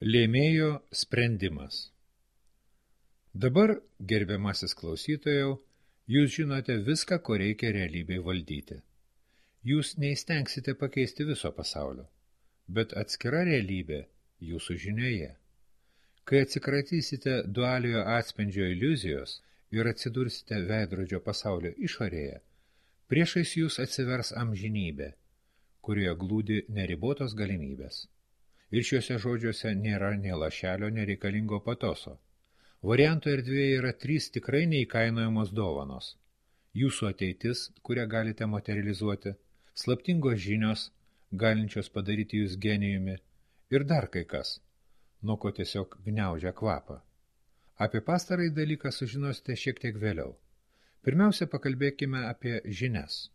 Lėmėjo sprendimas. Dabar, gerbiamasis klausytojau, jūs žinote viską, ko reikia realybei valdyti. Jūs neįstengsite pakeisti viso pasaulio, bet atskira realybė jūsų žinioje. Kai atsikratysite dualiojo atspindžio iliuzijos ir atsidursite veidrodžio pasaulio išorėje, priešais jūs atsivers amžinybė, kurioje glūdi neribotos galimybės. Ir šiuose žodžiuose nėra nė lašelio nereikalingo patoso. Variantų erdvėje yra 3 tikrai neįkainojamos dovanos. Jūsų ateitis, kurią galite materializuoti, slaptingos žinios, galinčios padaryti jūs genijumi, ir dar kai kas, nuo ko tiesiog gniaužia kvapą. Apie pastarąjį dalyką sužinosite šiek tiek vėliau. Pirmiausia, pakalbėkime apie žinias.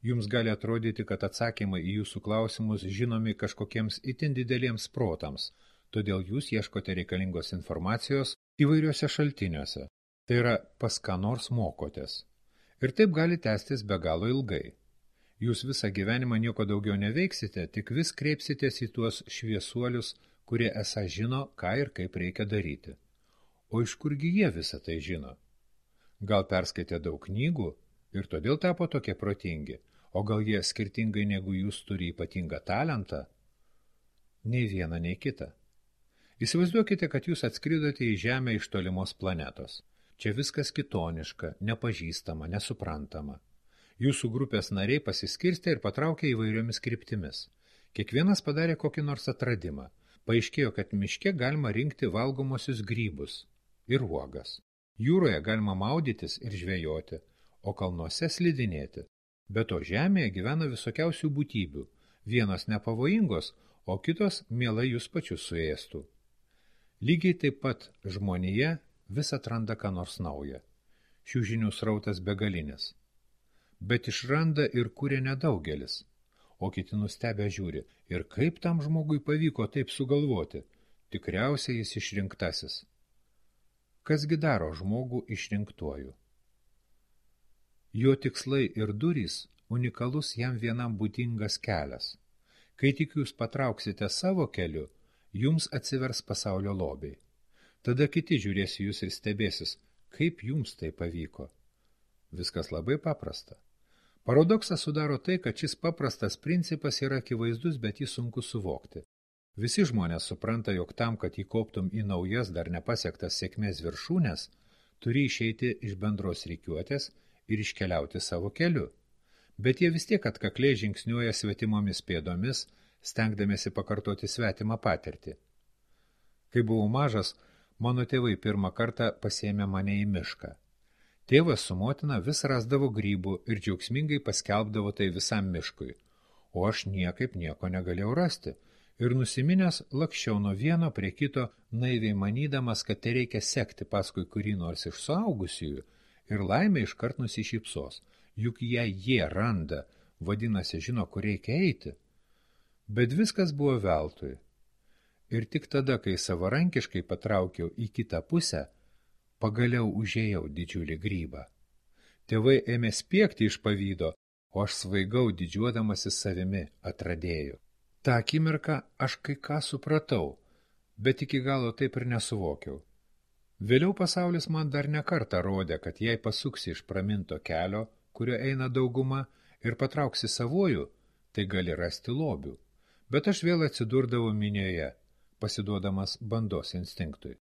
Jums gali atrodyti, kad atsakymai į jūsų klausimus žinomi kažkokiems itin dideliems protams, todėl jūs ieškote reikalingos informacijos įvairiuose šaltiniuose, tai yra pas ką nors mokotės. Ir taip gali tęstis be galo ilgai. Jūs visą gyvenimą nieko daugiau neveiksite, tik vis kreipsitės į tuos šviesuolius, kurie esą žino, ką ir kaip reikia daryti. O iš kurgi jie visą tai žino? Gal perskaitė daug knygų ir todėl tapo tokie protingi, o gal jie skirtingai negu jūs turi ypatingą talentą? Nei viena, nei kita. Įsivaizduokite, kad jūs atskridote į Žemę iš tolimos planetos. Čia viskas kitoniška, nepažįstama, nesuprantama. Jūsų grupės nariai pasiskirstė ir patraukė įvairiomis kryptimis. Kiekvienas padarė kokį nors atradimą. Paaiškėjo, kad miške galima rinkti valgomosius grybus ir uogas. Jūroje galima maudytis ir žvejoti, o kalnuose slidinėti. Be to žemėje gyvena visokiausių būtybių, vienos nepavojingos, o kitos mielai jūs pačius suėstų. Lygiai taip pat žmonija vis atranda ką nors naują. Šių žinių srautas begalinis. Bet išranda ir kuria nedaugelis, o kiti nustebę žiūri, ir kaip tam žmogui pavyko taip sugalvoti, tikriausiai jis išrinktasis. Kasgi daro žmogų išrinktuoju? Jo tikslai ir durys unikalus jam vienam būdingas kelias. Kai tik jūs patrauksite savo keliu, jums atsivers pasaulio lobiai. Tada kiti žiūrės į jūs ir stebėsis, kaip jums tai pavyko. Viskas labai paprasta. Paradoksą sudaro tai, kad šis paprastas principas yra akivaizdus, bet jį sunku suvokti. Visi žmonės supranta, jog tam, kad įkoptum į naujas dar nepasiektas sėkmės viršūnes, turi išeiti iš bendros rikiuotės ir iškeliauti savo keliu. Bet jie vis tiek atkakliai žingsniuoja svetimomis pėdomis, stengdamiesi pakartoti svetimą patirtį. Kai buvau mažas, mano tėvai pirmą kartą pasiėmė mane į mišką. Tėvas su motina vis rasdavo grybų ir džiaugsmingai paskelbdavo tai visam miškui, o aš niekaip nieko negalėjau rasti ir nusiminęs lakščiau nuo vieno prie kito, naiviai manydamas, kad tai reikia sekti paskui kurį nors iš suaugusiųjų, ir laimė iškart nusišypsos, juk jei jie randa, vadinasi žino, kur reikia eiti. Bet viskas buvo veltui. Ir tik tada, kai savarankiškai patraukiau į kitą pusę, pagaliau užėjau didžiulį grybą. Tėvai ėmė spiegti iš pavydo, o aš svaigau didžiuodamasis savimi atradėju. Ta akimirką aš kai ką supratau, bet iki galo taip ir nesuvokiau. Vėliau pasaulis man dar nekartą rodė, kad jei pasuksi iš praminto kelio, kurio eina dauguma, ir patrauksi savojų, tai gali rasti lobių. Bet aš vėl atsidurdavau minioje, pasiduodamas bandos instinktui.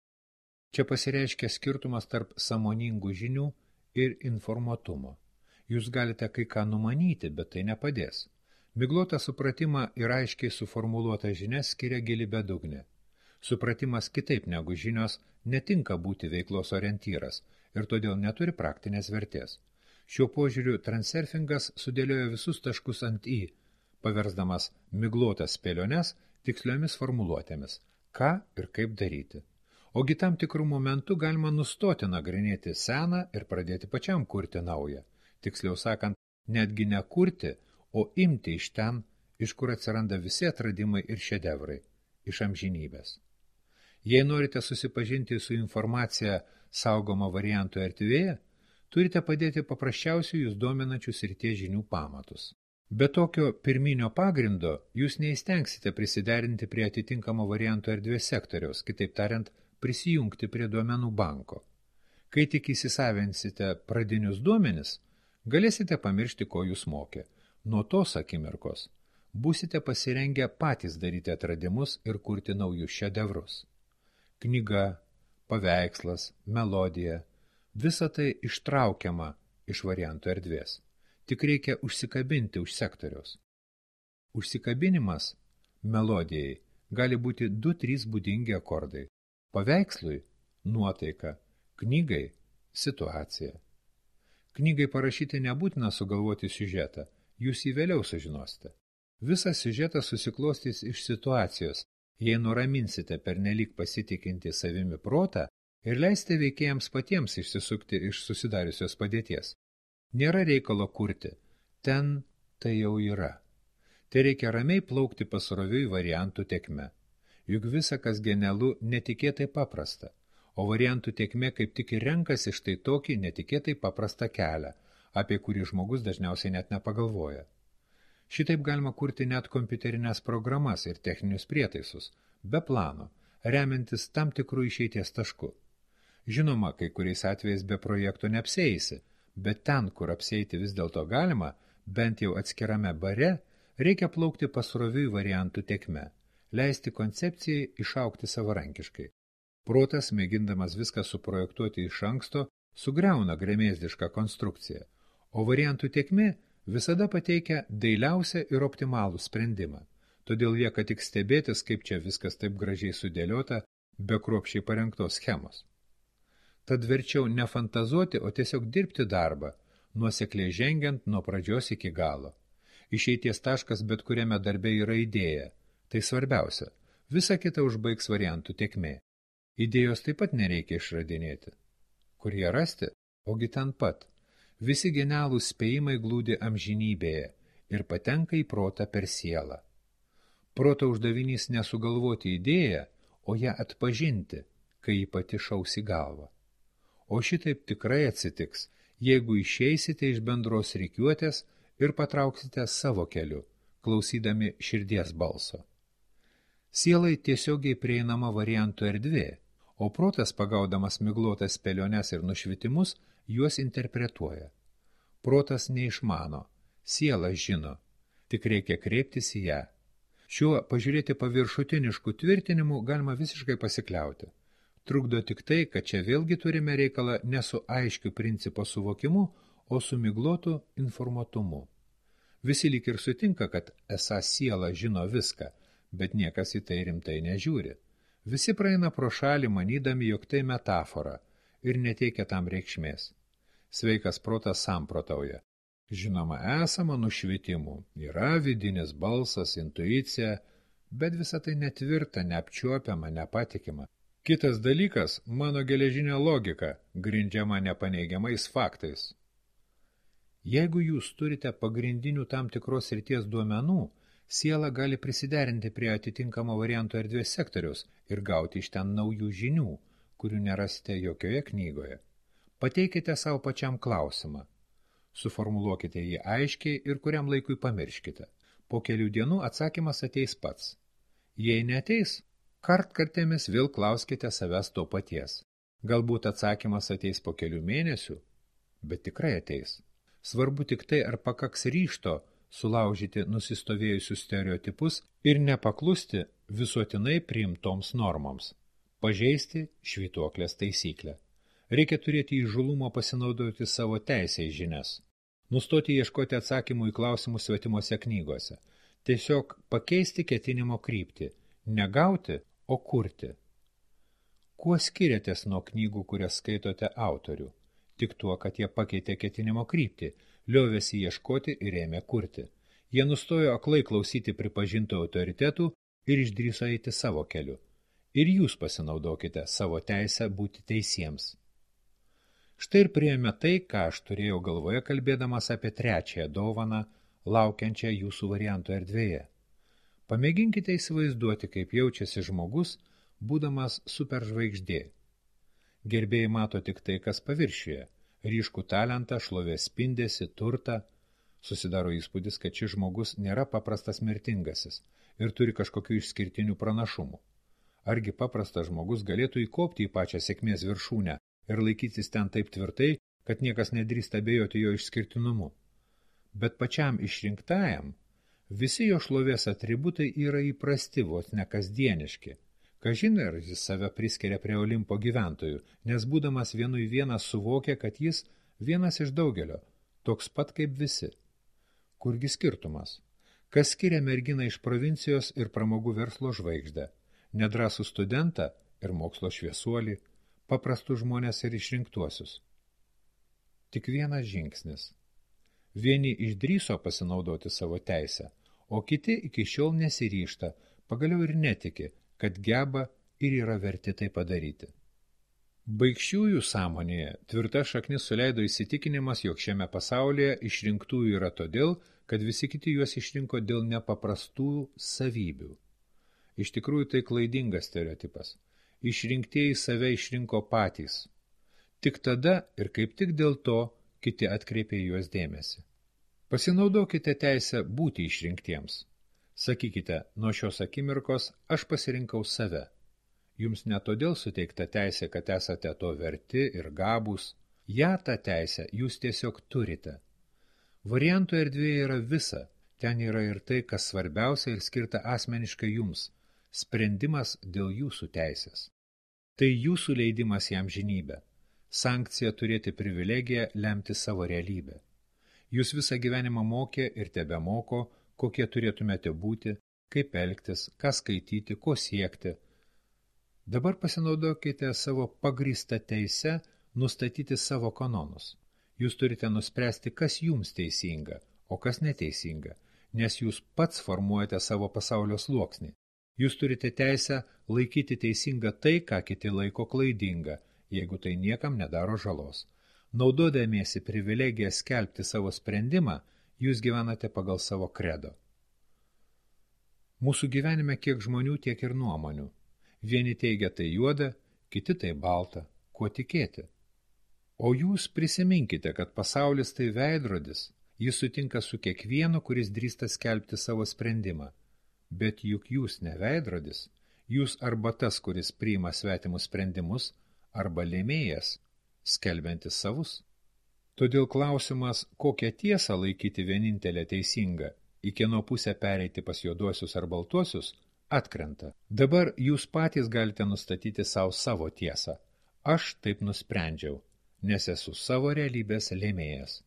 Čia pasireiškia skirtumas tarp sąmoningų žinių ir informuotumo. Jūs galite kai ką numanyti, bet tai nepadės. Miglotą supratimą ir aiškiai suformuluotą žinias skiria gili bedugnė. Supratimas kitaip negu žinios netinka būti veiklos orientyras ir todėl neturi praktinės vertės. Šiuo požiūriu transurfingas sudėliojo visus taškus ant i, paversdamas miglotas spėliones tiksliomis formuluotėmis, ką ir kaip daryti. Ogi tam tikrų momentų galima nustoti nagrinėti seną ir pradėti pačiam kurti naują. Tiksliau sakant, netgi ne kurti, o imti iš ten, iš kur atsiranda visi atradimai ir šedevrai, iš amžinybės. Jei norite susipažinti su informacija saugoma variantų erdvėje, turite padėti paprasčiausių jūs dominančių srities žinių pamatus. Be tokio pirminio pagrindo jūs neįstengsite prisiderinti prie atitinkamo varianto erdvės sektoriaus, kitaip tariant, prisijungti prie duomenų banko. Kai tik įsisavinsite pradinius duomenis, galėsite pamiršti, ko jūs mokė. Nuo tos akimirkos būsite pasirengę patys daryti atradimus ir kurti naujus šedevrus. Knyga, paveikslas, melodija – visa tai ištraukiama iš varianto erdvės. Tik reikia užsikabinti už sektoriaus. Užsikabinimas melodijai gali būti 2-3 būdingi akordai. Paveikslui – nuotaika, knygai – situacija. Knygai parašyti nebūtina sugalvoti siužetą, jūs jį vėliau sužinosite. Visas siužetas susiklostys iš situacijos, jei nuraminsite pernelyg pasitikinti savimi protą ir leisite veikėjams patiems išsisukti iš susidariusios padėties. Nėra reikalo kurti, ten tai jau yra. Tai reikia ramiai plaukti pasroviui variantų tekme. Juk visa, kas genialu, netikėtai paprasta, o variantų tekmė kaip tik ir renkasi štai tokį netikėtai paprastą kelią, apie kurį žmogus dažniausiai net nepagalvoja. Šitaip galima kurti net kompiuterinės programas ir techninius prietaisus, be plano, remiantis tam tikrų išeities taškų. Žinoma, kai kuriais atvejais be projekto neapsieisi, bet ten, kur apsieiti vis dėlto galima, bent jau atskirame bare, reikia plaukti pasroviui variantų tekme, leisti koncepcijai išaugti savarankiškai. Protas, mėgindamas viską suprojektuoti iš anksto, sugriauna gremėzdišką konstrukciją, o variantų tekmė visada pateikia dailiausią ir optimalų sprendimą. Todėl lieka tik stebėtis, kaip čia viskas taip gražiai sudėliota, be kruopščiai parengtos schemos. Tad verčiau ne fantazuoti, o tiesiog dirbti darbą, nuosekliai žengiant nuo pradžios iki galo. Išeities taškas bet kuriame darbe yra idėja. Tai svarbiausia. Visa kita užbaigs variantų tekmė. Idėjos taip pat nereikia išradinėti. Kur ją rasti? Ogi ten pat. Visi genialūs spėjimai glūdi amžinybėje ir patenka į protą per sielą. Proto uždavinys nesugalvoti idėją, o ją atpažinti, kai ji pati šaus į galvą. O šitaip tikrai atsitiks, jeigu išeisite iš bendros rikiuotės ir patrauksite savo keliu, klausydami širdies balso. Sielai tiesiogiai prieinama variantų erdvė, o protas, pagaudamas miglotas spėliones ir nušvitimus, juos interpretuoja. Protas neišmano, siela žino, tik reikia kreiptis į ją. Šiuo pažiūrėti paviršutiniškų tvirtinimų galima visiškai pasikliauti. Trukdo tik tai, kad čia vėlgi turime reikalą ne su aiškiu principo suvokimu, o su miglotu informatumu. Visi lyg ir sutinka, kad esą siela žino viską, bet niekas į tai rimtai nežiūri. Visi praeina pro šalį, manydami, jog tai metafora ir neteikia tam reikšmės. Sveikas protas samprotauja. Žinoma, esama nušvitimų, yra vidinis balsas, intuicija, bet visa tai netvirta, neapčiuopiama, nepatikima. Kitas dalykas – mano geležinė logika, grindžiama nepaneigiamais faktais. Jeigu jūs turite pagrindinių tam tikros srities duomenų, siela gali prisiderinti prie atitinkamo varianto erdvės sektoriaus ir gauti iš ten naujų žinių, kurių nerasite jokioje knygoje. Pateikite savo pačiam klausimą. Suformuluokite jį aiškiai ir kuriam laikui pamirškite. Po kelių dienų atsakymas ateis pats. Jei neateis, kartkartėmis vėl klauskite savęs to paties. Galbūt atsakymas ateis po kelių mėnesių, bet tikrai ateis. Svarbu tik tai, ar pakaks ryžto sulaužyti nusistovėjusius stereotipus ir nepaklusti visuotinai priimtoms normoms. Pažeisti švytuoklės taisyklę. Reikia turėti įžulumo pasinaudoti savo teisę į žinias. Nustoti ieškoti atsakymų į klausimus svetimose knygose. Tiesiog pakeisti ketinimo kryptį. Negauti, o kurti. Kuo skiriatės nuo knygų, kurias skaitote autorių? Tik tuo, kad jie pakeitė ketinimo kryptį, liovėsi ieškoti ir ėmė kurti. Jie nustojo aklai klausyti pripažintų autoritetų ir išdrįso eiti savo keliu. Ir jūs pasinaudokite savo teisę būti teisiems. Štai ir priėmė tai, ką aš turėjau galvoje, kalbėdamas apie trečiąją dovaną, laukiančią jūsų variantų erdvėje. Pamėginkite įsivaizduoti, kaip jaučiasi žmogus, būdamas superžvaigždė. Gerbėjai mato tik tai, kas paviršiuje, ryškų talentą, šlovės spindesį, turtą. Susidaro įspūdis, kad šis žmogus nėra paprastas mirtingasis ir turi kažkokių išskirtinių pranašumų. Argi paprastas žmogus galėtų įkopti į pačią sėkmės viršūnę ir laikytis ten taip tvirtai, kad niekas nedrįsta abejoti jo išskirtinumu. Bet pačiam išrinktajam visi jo šlovės atributai yra įprasti, vos ne kasdieniški. Kažin ar jis save priskiria prie Olimpo gyventojų, nes būdamas vienui vienas suvokia, kad jis vienas iš daugelio, toks pat kaip visi. Kurgi skirtumas? Kas skiria merginą iš provincijos ir pramogų verslo žvaigždę, nedrąsų studentą ir mokslo šviesuolį, paprastus žmonės ir išrinktuosius? Tik vienas žingsnis. Vieni išdrįso pasinaudoti savo teisę, o kiti iki šiol nesiryžta, pagaliau ir netiki, kad geba ir yra verti tai padaryti. Baikščiųjų sąmonėje tvirta šaknis suleido įsitikinimas, jog šiame pasaulyje išrinktųjų yra todėl, kad visi kiti juos išrinko dėl nepaprastų savybių. Iš tikrųjų tai klaidingas stereotipas. Išrinktieji save išrinko patys. Tik tada ir kaip tik dėl to kiti atkreipė juos dėmesį. Pasinaudokite teisę būti išrinktiems. Sakykite, nuo šios akimirkos aš pasirinkau save. Jums ne todėl suteikta teisė, kad esate to verti ir gabūs. Ja tą teisę jūs tiesiog turite. Variantų erdvėje yra visa. Ten yra ir tai, kas svarbiausia ir skirta asmeniškai jums. Sprendimas dėl jūsų teisės. Tai jūsų leidimas jam žinybę. Sankcija turėti privilegiją lemti savo realybę. Jūs visą gyvenimą mokė ir tebemoko, kokie turėtumėte būti, kaip elgtis, ką skaityti, ko siekti. Dabar pasinaudokite savo pagrįstą teisę nustatyti savo kanonus. Jūs turite nuspręsti, kas jums teisinga, o kas neteisinga, nes jūs pats formuojate savo pasaulio sluoksnį. Jūs turite teisę laikyti teisinga tai, ką kiti laiko klaidinga, jeigu tai niekam nedaro žalos. Naudodamiesi privilegiją skelbti savo sprendimą, jūs gyvenate pagal savo kredo. Mūsų gyvenime kiek žmonių, tiek ir nuomonių. Vieni teigia tai juoda, kiti tai balta. Kuo tikėti? O jūs prisiminkite, kad pasaulis tai veidrodis. Jis sutinka su kiekvienu, kuris drįsta skelbti savo sprendimą. Bet juk jūs ne veidrodis. Jūs arba tas, kuris priima svetimus sprendimus, arba lėmėjas, skelbiantis savus. Todėl klausimas, kokią tiesą laikyti vienintelę teisingą, į kieno pusę pereiti pas juoduosius ar baltuosius, atkrenta. Dabar jūs patys galite nustatyti savo tiesą. Aš taip nusprendžiau, nes esu savo realybės lėmėjas.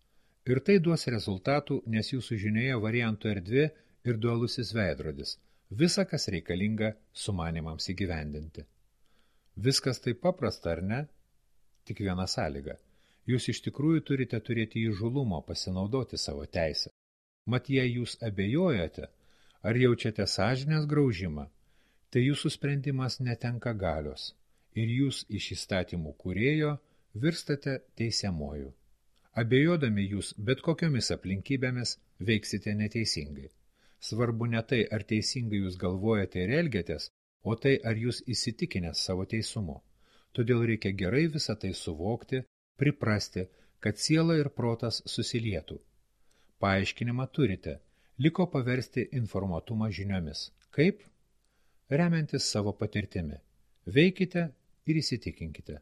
Ir tai duos rezultatų, nes jūsų žinioje variantų erdvė ir dualusis veidrodis. Visa, kas reikalinga sumanimams įgyvendinti. Viskas taip paprasta, ar ne? Tik viena sąlyga. Jūs iš tikrųjų turite turėti įžulumo pasinaudoti savo teisę. Mat, jei jūs abejojate, ar jaučiate sąžinės graužimą, tai jūsų sprendimas netenka galios ir jūs iš įstatymų kūrėjo virstate teisiamuoju. Abejodami jūs bet kokiomis aplinkybėmis veiksite neteisingai. Svarbu ne tai, ar teisingai jūs galvojate ir elgiatės, o tai, ar jūs įsitikinęs savo teisumu. Todėl reikia gerai visą tai suvokti, priprasti, kad siela ir protas susilietų. Paaiškinimą turite, liko paversti informatumą žiniomis. Kaip? Remiantis savo patirtimi. Veikite ir įsitikinkite.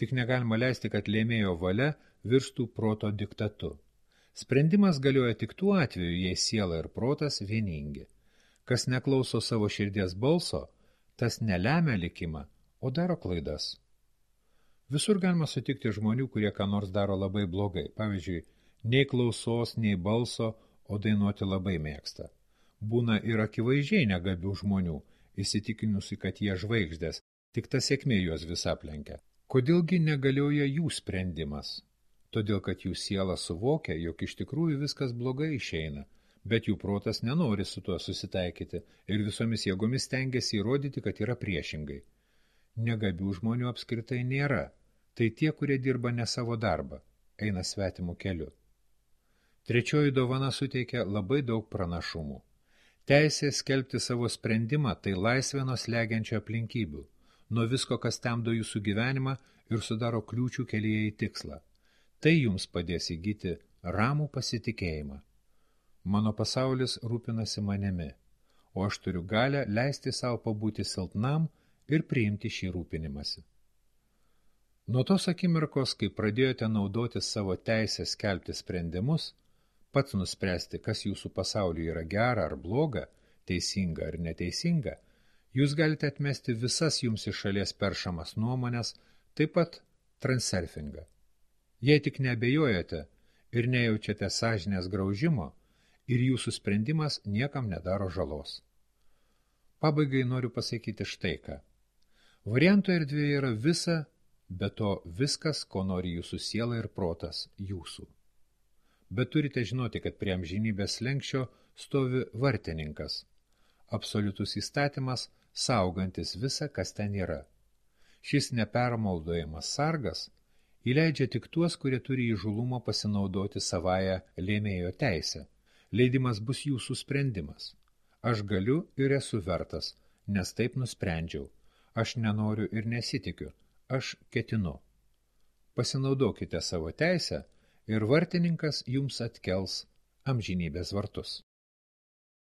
Tik negalima leisti, kad lėmėjo valia virstų proto diktatu. Sprendimas galioja tik tuo atveju, jei siela ir protas vieningi. Kas neklauso savo širdies balso, tas nelemia likimą, o daro klaidas. Visur galima sutikti žmonių, kurie ką nors daro labai blogai. Pavyzdžiui, nei klausos, nei balso, o dainuoti labai mėgsta. Būna ir akivaizdžiai negabių žmonių, įsitikinusi, kad jie žvaigždės, tik ta sėkmė juos vis aplenkia. Kodėlgi negalioja jų sprendimas? Todėl, kad jų siela suvokia, jog iš tikrųjų viskas blogai išeina, bet jų protas nenori su tuo susitaikyti ir visomis jėgomis stengiasi įrodyti, kad yra priešingai. Negabių žmonių apskritai nėra, tai tie, kurie dirba ne savo darbą, eina svetimų keliu. Trečioji dovana suteikia labai daug pranašumų. Teisė skelbti savo sprendimą tai laisvė nuo slegiančio aplinkybių, nuo visko, kas temdo jūsų gyvenimą ir sudaro kliūčių kelyje į tikslą. Tai jums padės įgyti ramų pasitikėjimą. Mano pasaulis rūpinasi manimi, o aš turiu galę leisti savo pabūti silpnam ir priimti šį rūpinimąsi. Nuo tos akimirkos, kai pradėjote naudoti savo teisę skelbti sprendimus, pats nuspręsti, kas jūsų pasaulyje yra gera ar bloga, teisinga ar neteisinga, jūs galite atmesti visas jums iš šalies peršamas nuomonės, taip pat transurfingą. Jei tik neabejojate ir nejaučiate sąžinės graužimo, ir jūsų sprendimas niekam nedaro žalos. Pabaigai noriu pasakyti štai ką. Variantų erdvėje yra visa, be to viskas, ko nori jūsų siela ir protas, jūsų. Bet turite žinoti, kad prie amžinybės slenksčio stovi vartininkas, absoliutus įstatymas, saugantis visą, kas ten yra. Šis nepermaudojamas sargas įleidžia tik tuos, kurie turi įžulumo pasinaudoti savąją lėmėjo teisę. Leidimas bus jūsų sprendimas. Aš galiu ir esu vertas, nes taip nusprendžiau. Aš nenoriu ir nesitikiu. Aš ketinu. Pasinaudokite savo teisę ir vartininkas jums atkels amžinybės vartus.